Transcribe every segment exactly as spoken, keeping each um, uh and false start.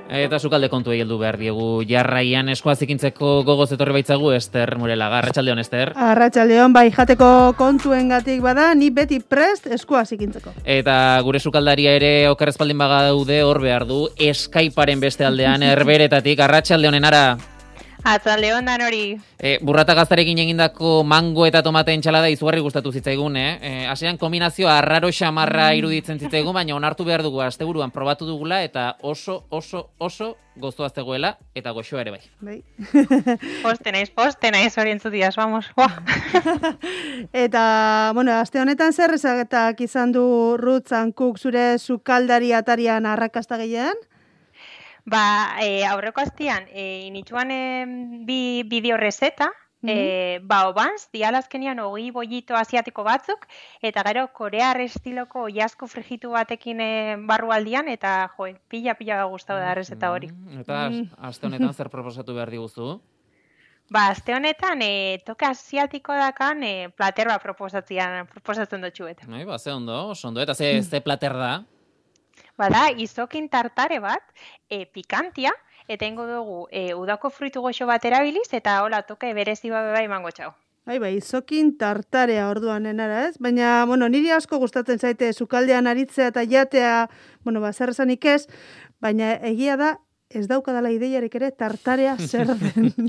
Eta sukalde kontu heldu behar diegu. Jarraian eskoa zikintzeko gogoz etorri baitzagu, Ester Murelaga. Arratsaldeon, Ester. Arratsaldeon, bai, jateko kontuengatik bada, ni beti prest eskoa zikintzeko. Eta gure sukaldaria ere oker espaldin bagaude hor behar du, Skypearen beste aldean, Herberetatik. Arratsaldeon, Enara. Atzaldeon dan hori. E, burrata gaztarekin egindako mango eta tomate entxalada izugarri gustatu zitzaigun, eh? E, Asean kombinazioa arraro xamarra iruditzen zitzaigun, baina onartu behar dugu asteburuan probatu dugula eta oso, oso, oso goztua zegoela eta goxoa ere bai. Bai. Poste naiz, poste naiz orientzu diaz, vamos. Eta, bueno, aste honetan zer ezagetak izan du Ruth Zankuk zure sukaldari atarian arrakasta gehien? Ba, e, aurreko astian, e, initzuan e, bi bideo reseta, mm-hmm. e, ba, obanz, dialazkenian hogei bollito asiatiko batzuk, eta gero korear estiloko oiazko frijitu batekin e, barrualdian, eta jo, pila-pila gustau da reseta hori. Mm, eta aste honetan zer proposatu behar diguzu? Ba, aste honetan, e, toke asiatiko dakan e, plater bat proposatzen dutxuet. Bai, ba, ze ondo, oso ondo, eta ze, ze plater da? Bada, izokin tartare bat, e, pikantia, eta ingo dugu e, udako fruitu goxo bat erabiliz, eta hola toke berezi babe bai emango txau. Bai, bai, izokin tartarea orduan Enara, ez? Baina, bueno, niri asko gustatzen zaite sukaldean aritzea eta jatea, bueno, ba, zer esanik ez, baina egia da, ez daukadala ideiarik ere tartarea zer den.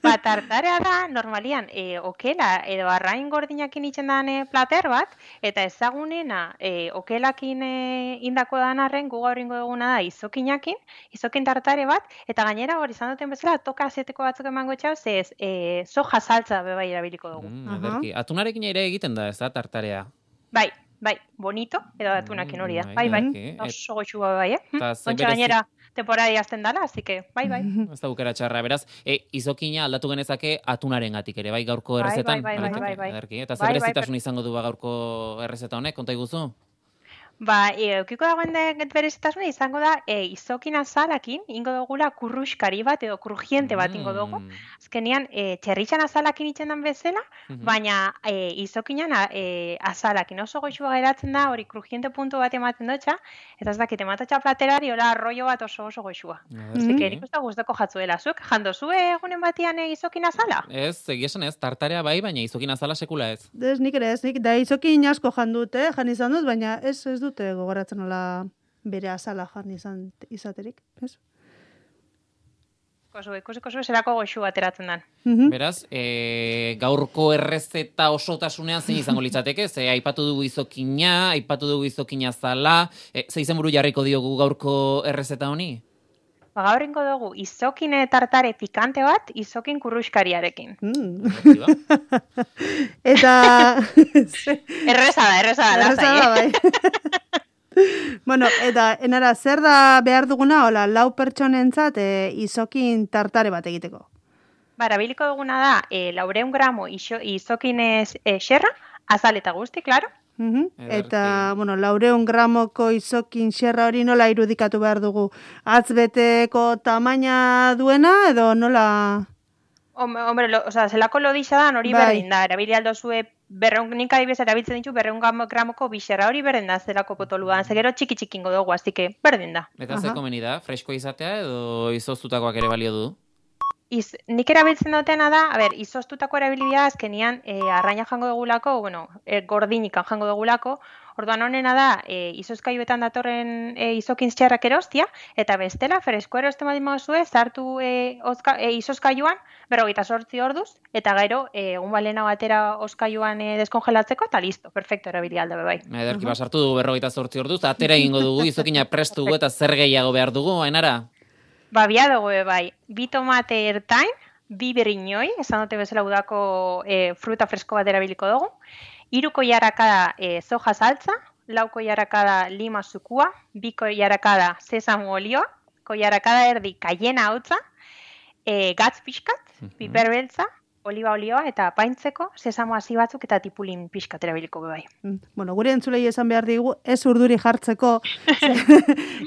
Ba, tartarea da, normalian, e, okela edo arrain gordinakin itzen dan e, plater bat, eta ezagunena e, okelakin e, indako dan arren, gu gaur ingo duguna da izokinakin, izokin tartare bat, eta gainera hori izan duten bezala, toka azeteko batzuk emango txau, ze ez, e, soja saltza bebai erabiliko dugu. Mm, ederki. Atunarekin ere egiten da, ez da, tartarea? Bai, bai, bonito, edo atunakin hori da. Bai, bai, oso goxua bai, eh? Ontsa gainera, temporari azten dala, así que, bai, bai. Ez da bukera txarra, beraz, e, izokina aldatu genezake atunaren gatik ere, bai, gaurko errezetan? Bai, bai, bai, bai, bai. Ederki. Eta zer berezitasun izango du gaurko errezeta honek, konta iguzu? Ba, e, eukiko dagoen berezitasuna izango da e, izokin azalakin, ingo dugula kurruskari bat edo krujiente bat ingo dugu. Azkenean, e, txerritxan azalakin itzen den bezala, mm-hmm. baina e, izokinan e, azalakin oso goxua geratzen da, hori krujiente puntu bat ematen dutxa, eta ez dakit ematatxa platerari, hola arroio bat oso oso goxua. Mm-hmm. Zik, erik usta guztako jatzuela, zuek, jando zue egunen batian e, izokin azala? Ez, egiesan ez, tartarea bai, baina izokin azala sekula ez. Ez, nik ere ez, nik, da izokin asko jandut, eh, jan izan dut, baina ez ez dute gogoratzen hola bere azala jan izan izaterik, ez? Kosu, ikusi kosu zerako goxu ateratzen dan. Mm-hmm. Beraz, e, gaurko errezeta osotasunean zein izango litzateke, ze aipatu dugu izokina, aipatu dugu izokina zala, e, ze izenburu jarriko diogu gaurko errezeta honi? Ba, gaur ingo dugu izokine tartare pikante bat, izokin kurruskariarekin. Mm. Eta... erreza da, erreza da, erreza da, bai. Bueno, eta Enara, zer da behar duguna, hola, lau pertsonentzat e, izokin tartare bat egiteko? Ba, erabiliko duguna da, e, laureun gramo iso, izokin e, xerra, azal eta guzti, klaro. Uh-huh. Eta, bueno, laureun gramoko izokin xerra hori nola irudikatu behar dugu? Atzbeteko tamaina duena edo nola... Hombre, lo, o sea, zelako lodixa da, hori bai. Berdin da, erabili aldo zue, berreun, nik adibidez erabiltzen ditu, berreun gramoko bixerra hori berdin da, zelako potoluan, zegero txiki-txikingo dugu, aztike, berdin da. Eta ze komeni da, fresko izatea edo izoztutakoak ere balio du? Iz, nik erabiltzen dutena da, a ber, izoztutako erabilibia azkenian e, arraina jango dugulako, bueno, e, gordinikan jango dugulako, orduan honena da, e, izozkaiuetan datorren e, izokin txarrak erostia, eta bestela, fresko erosten badin mauzue, zartu e, ozka, e, izozkaiuan, berrogeita sortzi orduz, eta gero, e, egun balena batera ozkaiuan e, deskongelatzeko, eta listo, perfecto, erabili alda bebai. Ederki, uh-huh. Basartu dugu berrogeita sortzi orduz, atera egingo dugu, izokina prestu dugu, eta zer gehiago behar dugu, Ainara? Ba, bia dugu bai, bi tomate ertain, bi berriñoi, esan dute bezala udako e, fruta fresko bat erabiliko dugu, iruko jarakada e, soja saltza, lauko jarakada lima zukua, biko jarakada sesamo olioa, ko jarakada erdi kaiena hautza, e, gatz pixkat, uh-huh. piper beltza, oliba olioa eta apaintzeko sesamo hasi batzuk eta tipulin pixkat erabiliko bai. Bueno, gure entzulei esan behar digu, ez urduri jartzeko,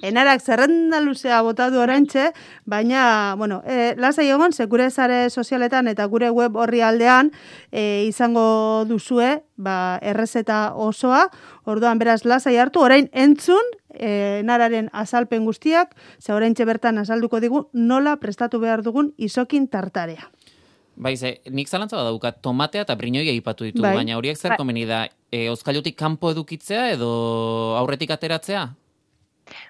Enarak zerrenda luzea botatu oraintxe, baina, bueno, e, lasai egon, ze gure sare sozialetan eta gure web horri aldean e, izango duzue, ba, errezeta osoa, orduan beraz lasai hartu, orain entzun, e, enararen azalpen guztiak, ze oraintxe bertan azalduko digu nola prestatu behar dugun izokin tartarea. Bai, ze, nik zalantza badaukat, tomatea eta brinoia aipatu ditu, bai. baina horiek zer komeni da, e, oskailutik kanpo edukitzea edo aurretik ateratzea?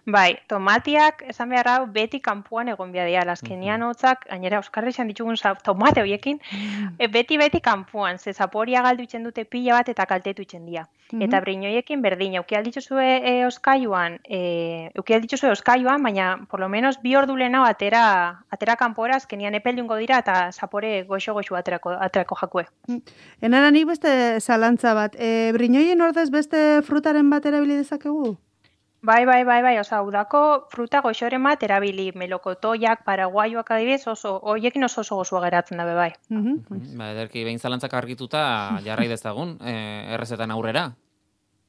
Bai, tomatiak, esan behar hau, beti kanpuan egon behar dira. Azkenean hotzak, gainera Euskarri izan ditugun tomate horiekin, e, beti-beti kanpuan, ze zaporia galdu itzen dute pila bat eta kaltetu itzen dira. Mm -hmm. Eta brinoiekin berdin, euki aldituzue e, oskailuan, e, euki aldituzue oskailuan, baina por lo menos bi ordu lehenago atera, atera kanpora, azkenean epeldungo dira eta zapore goxo-goxo aterako, aterako jakue. Enara nik beste zalantza bat, e, brinoien ordez beste frutaren bat erabili dezakegu? Bai, bai, bai, bai, oza, udako fruta goxoren bat erabili, melokotoiak, paraguaioak adibidez, oso, hoiekin oso oso gozua geratzen dabe, bai. Mm -hmm. Ba, ederki, behin zalantzak argituta jarrai dezagun, e, errezetan aurrera.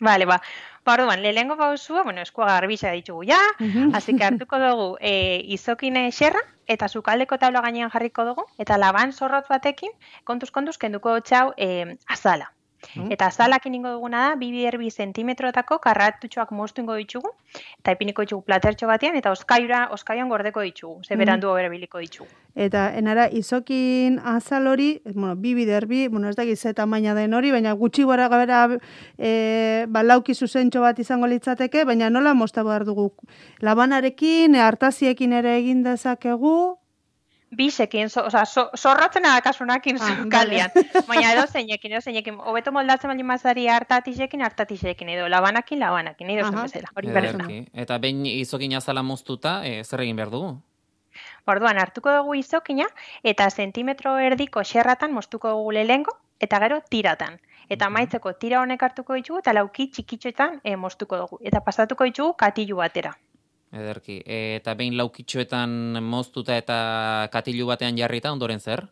Vale, ba, ba, orduan, lehengo pausua, bueno, eskua garbisa ditugu ja, mm -hmm. así que hartuko dugu e, izokine xerra, eta sukaldeko tabla gainean jarriko dugu, eta laban zorrotz batekin, kontuz-kontuz, kenduko txau e, azala. Mm. Eta azalakin ingo duguna da, bi bider bi zentimetrotako karratutxoak moztu ingo ditugu, eta ipiniko ditugu platertxo batean, eta oskaiura, oskaiuan gordeko ditugu, ze berandu mm. berabiliko ditugu. Eta enara, izokin azal hori, bueno, bi bider bi, bueno, ez dakiz ze tamaina den hori, baina gutxi gora gabera e, ba, lauki zuzentxo bat izango litzateke, baina nola mozta behar dugu? Labanarekin, hartaziekin ere egin dezakegu, Bisekin, so, oza, so, zorrotzen adakasunakin ah, zukaldian. Baina edo zeinekin, edo zeinekin. Hobeto moldatzen baldin mazari hartatisekin, hartatisekin, edo labanakin, labanakin, edo zen bezala. Hori berrezna. Eta behin izokin azala moztuta, e, zer egin behar dugu? Orduan, hartuko dugu izokina, eta zentimetro erdiko xerratan moztuko dugu lehengo, eta gero tiratan. Eta amaitzeko tira honek hartuko ditugu, eta lauki txikitxoetan e, moztuko dugu. Eta pasatuko ditugu katilu batera. Ederki, e, eta behin laukitxoetan moztuta eta katilu batean jarrita, ondoren zer?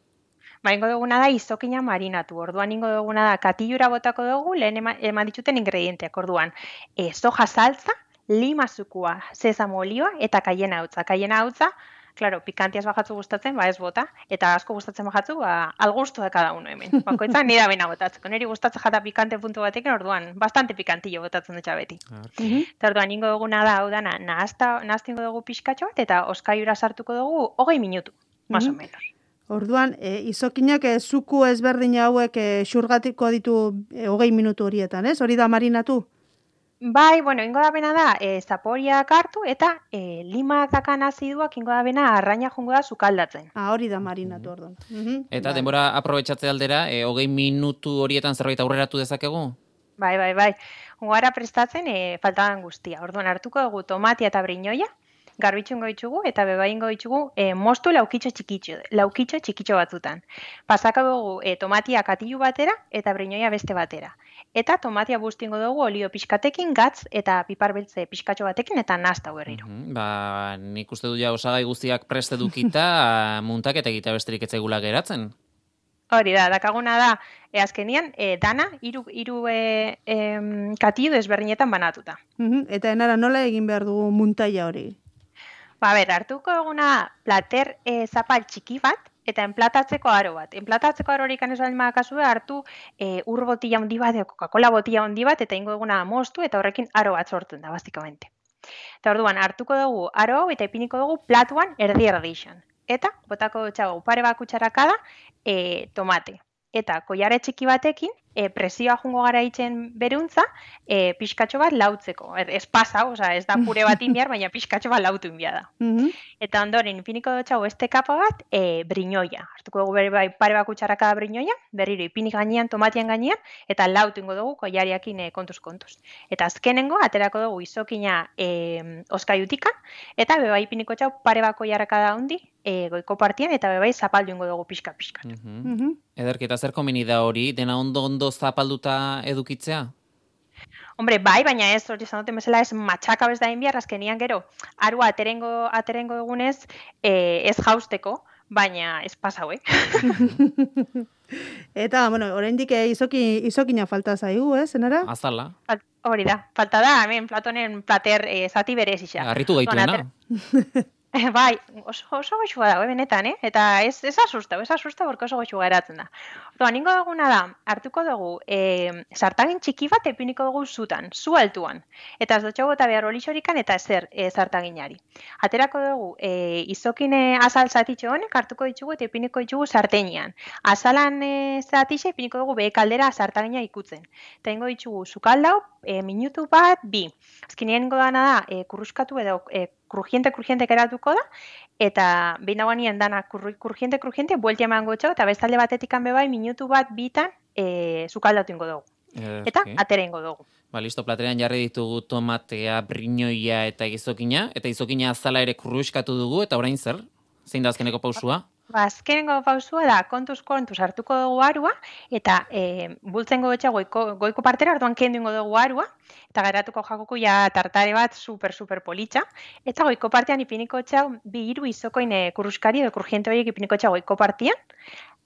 Ba, ingo duguna da izokina marinatu. Orduan ingo duguna da katilura botako dugu, lehen eman, eman dituten ingredienteak. Orduan, e, soja saltza, lima zukua, sesamo olioa eta kaiena hautza. Kaiena hautza, claro, pikantiaz bajatzu gustatzen, ba ez bota, eta asko gustatzen bajatzu, ba al gusto de cada uno hemen. Bakoitzan nire da bena botatzeko. Niri gustatzen jata pikante puntu batekin, orduan, bastante pikantillo botatzen dutxa beti. Okay. Eta orduan, ingo duguna da, hau dana, nahazta, nahaztingo dugu pixkatxo bat, eta oskaiura sartuko dugu hogei minutu, más o menos. Orduan, e, izokinak e, zuku ezberdin hauek e, xurgatiko ditu e, hogei minutu horietan, ez? Hori da marinatu? Bai, bueno, ingo da bena da, e, zaporiak hartu eta e, limak dakan aziduak ingo da bena arraina jongo da sukaldatzen. Ah, hori da marinatu orduan. Mm-hmm. Eta denbora aprobetxatze aldera, e, hogei minutu horietan zerbait aurreratu dezakegu? Bai, bai, bai. Ungara prestatzen e, faltadan guztia. Orduan hartuko dugu tomatia eta brinoia, garbitxu ingo ditugu eta beba ingo ditugu e, moztu laukitxo txikitxo, laukitxo txikitxo batzutan. Pasako dugu e, tomatia katilu batera eta brinoia beste batera. Eta tomatia bustingo dugu olio pixkatekin, gatz eta pipar beltze pixkatxo batekin eta nasta berriro. Uh-huh. Ba, nik uste du ja osagai guztiak prest edukita muntak eta egita besterik etzegula geratzen. Hori da, dakaguna da, e, azkenian, e, dana, hiru hiru e, e, katillo desberdinetan banatuta. Uh-huh. Eta enara nola egin behar dugu muntaia hori? Ba, ber, hartuko duguna plater e, zapal txiki bat, eta enplatatzeko aro bat. Enplatatzeko aro horik anez baldin badakazue, hartu e, ur botila handi bat, Coca-Cola botila handi bat, eta ingo duguna moztu, eta horrekin aro bat sortzen da, bastikamente. Eta orduan, hartuko dugu aro hau, eta ipiniko dugu platuan erdi erdixan. Eta, botako dutxago, pare bat kutsarakada, e, tomate. Eta koiare txiki batekin, e, presioa jungo gara itzen beruntza, e, pixkatxo bat lautzeko. Er, ez pasa, oza, ez da pure bat inbiar, baina pixkatxo bat lautu inbia da. Mm-hmm. Eta ondoren, ipiniko dutxago este kapa bat, e, brinoia. Hartuko dugu bere bai, pare bat kutsarakada brinoia, berriro ipinik gainean, tomatian gainean, eta lautu ingo dugu koiariakin e, kontuz-kontuz. Eta azkenengo, aterako dugu izokina e, oskaiutikan, eta beba ipiniko txau pare bat koiarakada hundi, e, goiko partian, eta bebai zapaldu ingo dugu pixka-pixka. Mm-hmm. Mm-hmm. Ederki, eta zer komeni da hori, dena ondo-ondo zapalduta edukitzea? Hombre, bai, baina ez, hori zanoten bezala ez matxaka bez da inbiar, azkenian gero, arua aterengo, aterengo dugunez, e, ez jausteko, baina ez pasau, eh? Eta, bueno, oraindik izoki, izokina falta zaigu, eh, zenara? Azala. Hori da, falta da, hemen platonen plater e, zati berez isa. Arritu gaituena. Bai, oso, oso goxua da, benetan, eh? Eta ez, ez asusta, ez asusta, borko oso goxua geratzen da. Orduan, ingo duguna da, hartuko dugu, e, sartagin txiki bat epiniko dugu zutan, zu altuan. Eta ez dutxo bota behar olixorikan eta ezer e, sartaginari. Aterako dugu, e, izokine azal zatitxo honek hartuko ditugu eta epiniko ditugu sarteinean. Azalan e, zatixe epiniko dugu behe kaldera sartagina ikutzen. Eta ingo ditugu zukaldau, e, minutu bat, bi. Azkenean ingo dana da, e, kurruskatu edo e, krujiente-krujiente geratuko da, eta behin dagoenien dana krujiente-krujiente buelti emango txau, eta bestalde batetik hanbe bai minutu bat bitan e, zukaldatu ingo dugu. Eh, Eta okay. atera ingo dugu. Ba, listo, platerean jarri ditugu tomatea, brinoia eta izokina, eta izokina azala ere kurruskatu dugu, eta orain zer? Zein da azkeneko pausua? Ba, azkenengo pausua da, kontuz kontuz hartuko dugu arua, eta e, bultzengo betxa goiko, goiko partera, orduan kendu ingo dugu arua, eta geratuko jakoko ja tartare bat super, super politxa, eta goiko partean ipiniko txau bi hiru izokoin kurruskari edo kurjiente horiek ipiniko txau goiko partian,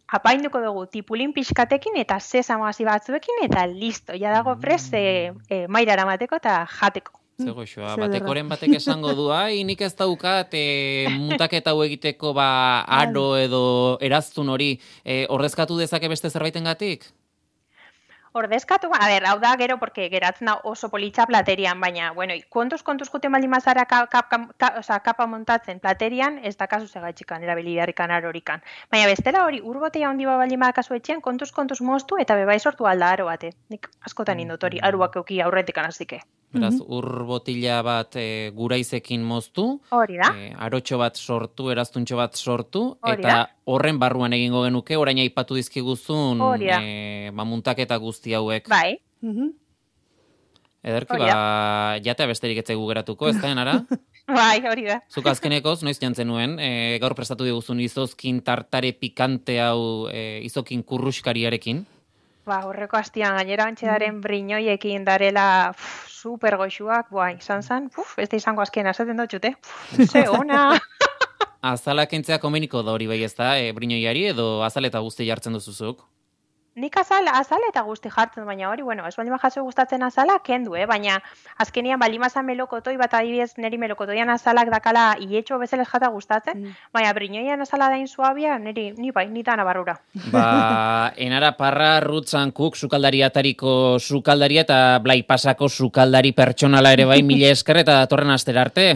apainduko dugu tipulin pixkatekin eta sesamo hasi batzuekin, eta listo, ja dago prest e, e, mairara mateko eta jateko. Zego xoa, batekoren batek esango du, ai, nik ez daukat e, muntaketa hau egiteko ba aro edo eraztun hori, e, ordezkatu dezake beste zerbaitengatik? Ordezkatu, a ber, hau da gero, porque geratzen da oso politxa platerian, baina, bueno, kontuz-kontuz juten baldin mazara ka, ka, ka, ka, oza, kapa montatzen platerian, ez da kasu segaitxikan, erabilidarrikan arorikan. Baina bestela hori, urbotea handi ba baldin bakasu etxean, kontuz-kontuz moztu eta bebai sortu alda aro bate. Nik askotan indot hori, aruak euki aurretik anazike. Beraz, ur botila bat e, guraizekin moztu, hori da. E, arotxo bat sortu, eraztuntxo bat sortu, Hori eta da. horren barruan egingo genuke, orain aipatu dizkiguzun e, ba, muntaketa guzti hauek. Bai. Ederki, Hori da. ba, jatea besterik etzegu geratuko, ez da, enara? Bai, hori da. Zuk azkenekoz, noiz jantzen nuen, e, gaur prestatu diguzun izozkin tartare pikante hau e, izokin kurruskariarekin. Ba, horreko hastian, gainera bantxedaren brinoiekin darela pff, super goxuak, boa, izan zan, puf, ez da izango azkien, azaten dut jute, ze ona. Azalak entzea komeniko da hori bai ez da, e, brinoiari edo azal eta guzti jartzen duzuzuk? Nik azal, azal eta guzti jartzen, baina hori, bueno, ez baldin jaso gustatzen azala, kendu, eh? Baina azkenian baldin mazan melokotoi, bat adibidez niri melokotoian azalak dakala ietxo bezala jata gustatzen, mm. baina brinoian azala dain suabia, niri, ni bai, ni dana barrura. Ba, enara parra, rutzan kuk, sukaldari atariko sukaldaria eta blai pasako sukaldari pertsonala ere bai, mila esker eta datorren astera arte.